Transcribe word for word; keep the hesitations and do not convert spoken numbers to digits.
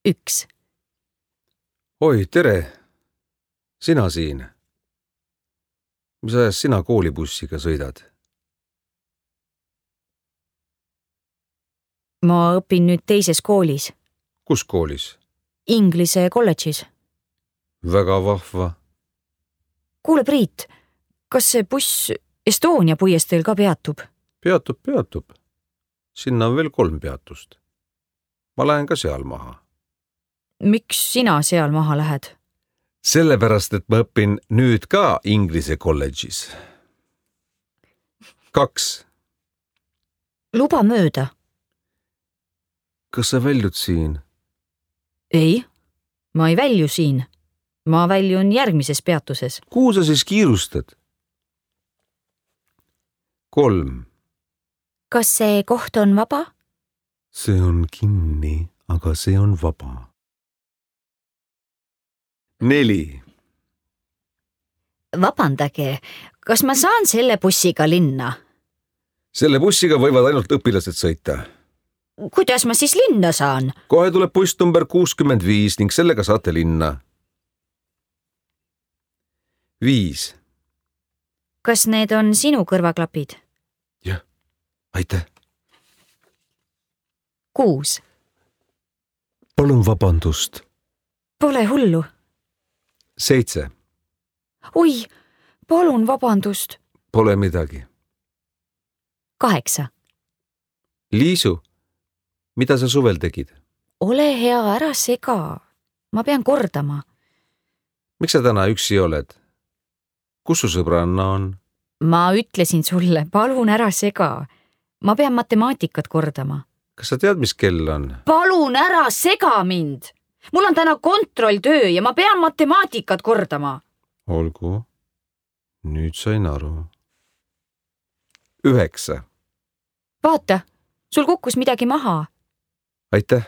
üks. Oi, tere! Sina siin. Mis ajas sina koolibussiga sõidad? Ma õpin nüüd teises koolis. Kus koolis? Inglise kolledžis. Väga vahva. Kuule, Priit, kas see buss Estonia puiesteel ka peatub? Peatub, peatub. Sinna on veel kolm peatust. Ma lähen ka seal maha. Miks sina seal maha lähed? Sellepärast, et ma õpin nüüd ka Inglise kolledžis. Kaks. Luba mööda. Kas sa väljud siin? Ei, ma ei välju siin. Ma väljun järgmises peatuses. Kuhu sa siis kiirustad? Kolm. Kas see koht on vaba? See on kinni, aga see on vaba. Neli. Vabandage, kas ma saan selle bussiga linna? Selle bussiga võivad ainult õpilased sõita. Kuidas ma siis linna saan? Kohe tuleb buss number kuuskümmend viis ning sellega saate linna. Viis. Kas need on sinu kõrvaklapid? Jah, aitäh. Kuus. Palun vabandust. Pole hullu. Seitse. Oi, palun vabandust. Pole midagi. Kaheksa. Liisu, mida sa suvel tegid? Ole hea, ära sega. Ma pean kordama. Miks sa täna üksi oled? Kus su sõbranna on? Ma ütlesin sulle, palun ära sega. Ma pean matemaatikat kordama. Kas sa tead, mis kell on? Palun ära sega mind! Mul on täna kontrolltöö ja ma pean matemaatikat kordama. Olgu. Nüüd sain aru. Üheksa. Vaata, sul kukkus midagi maha. Aitäh.